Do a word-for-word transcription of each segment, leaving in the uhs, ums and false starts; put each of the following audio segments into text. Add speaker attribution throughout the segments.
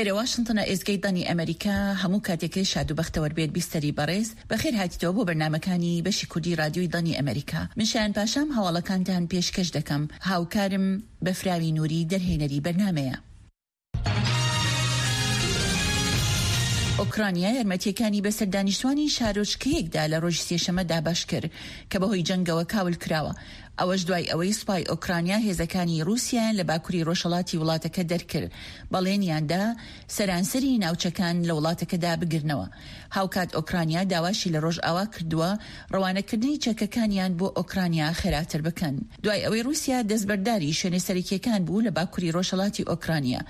Speaker 1: ئێرە واشنتنە، ئێزگەی دەنگی ئەمەریکا. هەموو کاتێکت شاد و بەختەوەر بێت بیستەری بەڕێز. بەخێر هاتیتەوە بۆ بەرنامەکانی بەشی کوردی ڕادیۆی دەنگی ئەمەریکا. من شایان پاشام هەواڵەکانتان پێشکەش دەکەم. هاوکارم بەفراوی نوری دەرهێنەری بەرنامەیە. ئۆکرانیا یارمەتییەکانی بەسەر دانیشتوانی شارۆچکەیەکدا لە ڕۆژی سێشەممە دابەش کرد کە بەهۆی جەنگەوە کاول کراوە، ئەوەش دوای ئەوەی سوپای ئۆکرانیا هێزەکانی ڕووسیایان لە باکوری ڕۆژهەڵاتی وڵاتەکە دەرکرد، بەڵێنیان دا سەرانسەری ناوچەکان لە وڵاتەکەدا بگرنەوە. هاوکات ئۆکرانیا داواشی لە ڕۆژئاوا کردووە ڕەوانەکردنی چەکەکانیان بۆ ئۆکرانیا خێراتر بکەن. دوای ئەوەی ڕووسیا دەستبەرداری شوێنە سەرەکییەکان بوو لە باکوری ڕۆژهەڵاتی ئۆکرانیا،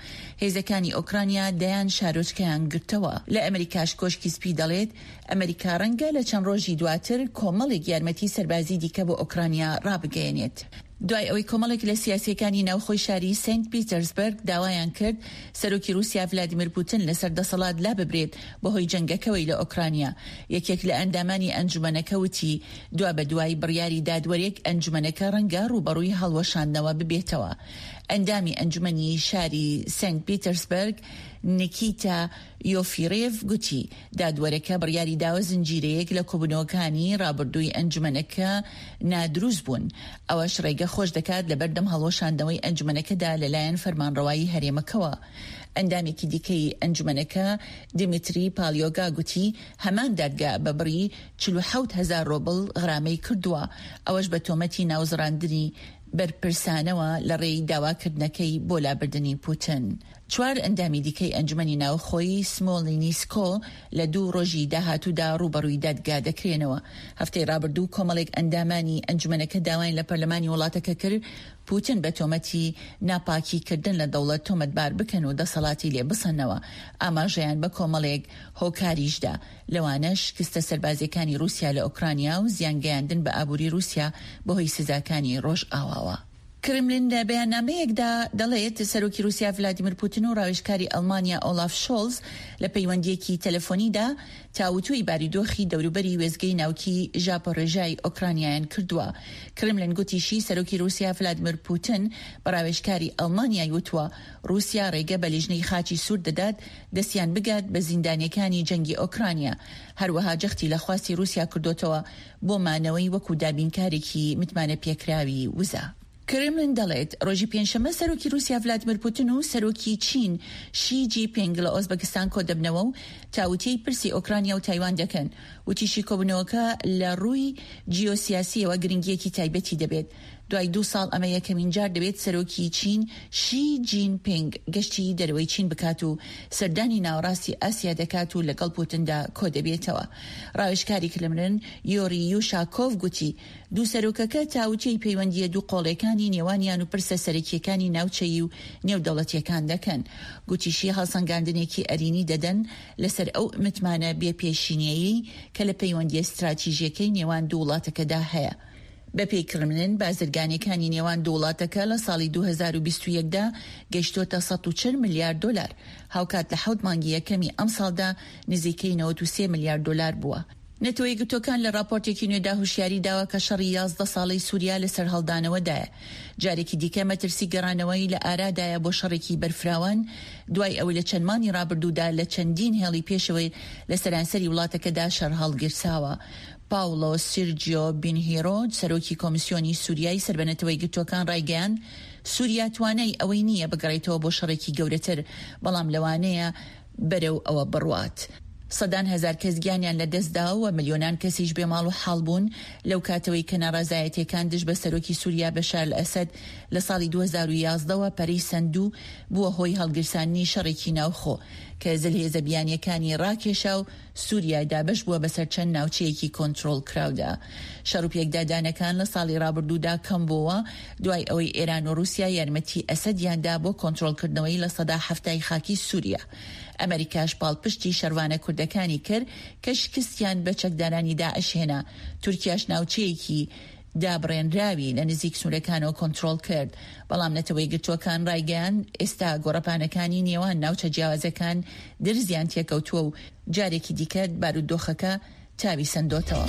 Speaker 1: هێزەکانی ئۆکرانیا دەیان شارۆچکەیان گرتەوە. لە ئەمریکاش کۆشکی سپی دەڵێت، ئەمریکا ڕەنگە لە چەند ڕۆژی دواتر کۆمەڵێک یارمەتی سەربازی دیکە بۆ ئۆکرانیا ڕابگەیەنێت. دوای ئەوەی کۆمەڵێک لە سیاسییەکانی ناوخۆی شاری سەینت پیتەرسبەرگ داوایان کرد سەرۆکی رووسیا ڤلادیمیر پوتن لەسەر دەسەڵات لاببرێت بەهۆی جەنگەکەوەی لە ئۆکرانیا، یەکێک لە ئەندامانی ئەنجومەنەکە وتی دوابەدوای بڕیاری دادوەرێک ئەنجومەنەکە ڕەنگە ڕووبەڕووی هەڵوەشاندنەوە ببێتەوە. ئەندامی ئەنجومەنی شاری سەینت پیتەرسبەرگ نیکیتا یۆفیرێڤ گوتی، دادوەرەکە بڕیاری داوە زنجیرەیەک لە کۆبوونەوەکانی ڕابردووی ئەنجومەنەکە نادروست بوون، ئەوەش ڕێگە خۆش دەکات لەبەردەم هەڵوەشاندنەوەی ئەنجومەنەکەدا لەلایەن فەرمانڕەوایی هەرێمەکەوە. ئەندامێکی دیکەی ئەنجومەنەکە دیمیتری پالیۆگا گوتی، هەمان دادگا بە بڕی چل و حەوت هەزار ڕۆبڵ غرامەی کردووە، ئەوەش بە تۆمەتی ناوزڕاندنی بەرپرسانەوە لەڕێی داواکردنەکەی بۆ لابردنی پوتن. چوار ئەندامی دیکەی ئەنجومەنی ناوخۆی سمۆلینیسکۆ لە دوو ڕۆژی داهاتوودا ڕووبەڕووی دادگا دەکرێنەوە. هەفتەی ڕابردوو کۆمەڵێک ئەندامانی ئەنجومەنەکە داوایان لە پەرلەمانی وڵاتەکە کرد پوتن بە تۆمەتی ناپاکیکردن لە دەوڵەت تۆمەتبار بکەن و دەسەڵاتی لێ بسەننەوە. ئاماژەیان بە کۆمەڵێک هۆکاریشدا، لەوانەش شکستە سەربازییەکانی ڕووسیا لە ئۆکرانیا و زیانگەیاندن بە ئابووری ڕووسیا بەهۆی سزاکانی ڕۆژئاواوە. کرملین لە بەیاننامەیەکدا دەڵێت، سەرۆکی ڕووسیا ڤلادیمیر پوتن و ڕاوێژکاری ئەڵمانیا ئۆلاف شۆڵز لە پەیوەندییەکی تەلەفۆنیدا تاوتوێی بارودۆخی دەوروبەری وێستگەی ناوکی ژاپۆرێژای ئۆکرانیایان کردووە. کرملین گوتیشی، سەرۆکی ڕووسیا ڤلادیمیر پوتن بە ڕاوێژکاری ئەڵمانیای وتووە، ڕووسیا ڕێگە بە لیژنەی خاچی سوور دەدات دەستیان بگات بە زیندانییەکانی جەنگی ئۆکرانیا. هەروەها جەختی لە خواستی ڕووسیا کردۆتەوە بۆ مانەوەی وەکو دابینکارێکی متمانەپێکراوی وزە. کرملین دەڵێت، ڕۆژی پێنجشەممە سەرۆکی ڕووسیا ڤلادیمیر پوتن و سەرۆکی چین شی جی پینگ لە ئۆزبەکستان کۆدەبنەوە و تاوتێی پرسی ئۆکرانیا و تایوان دەکەن. وتیشی کۆبوونەوەکە لە ڕووی جیۆسیاسییەوە گرنگییەکی تایبەتی دەبێت. دوای دوو ساڵ ئەمە یەکەمین جار دەبێت سەرۆکی چین شی جین پینگ گەشتی دەرەوەی چین بکات و سەردانی ناوەڕاستی ئاسیا دەکات و لەگەڵ پوتندا کۆدەبێتەوە. ڕاوێژکاری کرملن یۆری یوشاکۆڤ گوتی دوو سەرۆکەکە تاوتوێی پەیوەندییە دوو قۆڵییەکانی نێوانیان و پرسە سەرەکییەکانی ناوچەیی و نێودەوڵەتییەکان دەکەن. گوتیشی هەڵسەنگاندنێکی ئەرینی دەدەن لەسەر ئەو متمانە بێ پێشینەیەی کە لە پەیوەندییە ستراتیژییەکەی نێوان دوو وڵاتەکەدا هەیە. بەپێی کرملن، بازرگانییەکانی نێوان دوو وڵاتەکە لە ساڵی دوو هەزار و بیست و یەک دا گەیشتۆتە سەد و چل ملیار دۆلار، هاوکات لە حەوت مانگی یەکەمی ئەمساڵدا نزیکەی نەوەد و سێ ملیار دۆلار بووە. نەتەوە یەکگرتووەکان لە ڕاپۆرتێکی نوێدا هۆشیاری داوە کە شەڕی یازدە ساڵەی سوریا لە سەرهەڵدانەوەدایە، جارێکی دیکە مەترسی گەڕانەوەی لە ئارادایە بۆ شەڕێکی بەرفراوان دوای ئەوەی لە چەند مانگی ڕابردوودا لە چەندین هێڵی پێشەوەی لە سەرانسەری وڵاتەکەدا شەڕ هەڵگیرساوە. پاوڵۆ سیرجیۆ بینهیرۆ، سەرۆکی کۆمیسیۆنی سوریای سەر بە نەتەوە یەکگرتووەکان ڕایگەیاند، سوریا توانای ئەوەی نییە بگەڕێتەوە بۆ شەڕێکی گەورەتر، بەڵام لەوانەیە بەرەو ئەوە بڕوات. سەدان هەزار کەس گیانیان لەدەستدا و ملیۆنان کەسیش بێ ماڵ و حاڵ بوون لەو کاتەوەی کە ناڕەزایەتییەکان دژ بە سەرۆکی سوریا بەشار ئەسەد لە ساڵی دوو هەزار و یازدە وە پەرەی سەند و بووە هۆی هەڵگیرساندنی شەڕێکی ناوخۆ کە زلهێزە بیانییەکانی ڕاکێشا و سوریا دابەش بووە بەسەر چەند ناوچەیەکی کۆنترۆڵکراودا. شەڕ و پێکدادانەکان لە ساڵی ڕابردوودا کەم بۆوە دوای ئەوەی ئێران و ڕووسیا یارمەتی ئەسەدیان دا بۆ کۆنترۆڵکردنەوەی لە سەدا حەفتای خاکی سوریا. ئەمەریکاش پاڵپشتی شەڕڤانە کوردەکانی کرد کە شکستیان بە چەکدارانی داعش هێنا، تورکیاش ناوچەیەکی دابڕێنراوی لە نزیک سنوورەکانەوە کۆنترۆڵ کرد، بەڵام نەتەوەیەکگرتووەکان ڕایگەیاند ئێستا گۆڕەپانەکانی نێوان ناوچە جیاوازەکان درزیان تێکەوتووە و جارێکی دیکە بارودۆخەکە تاوی سەندۆتەوە.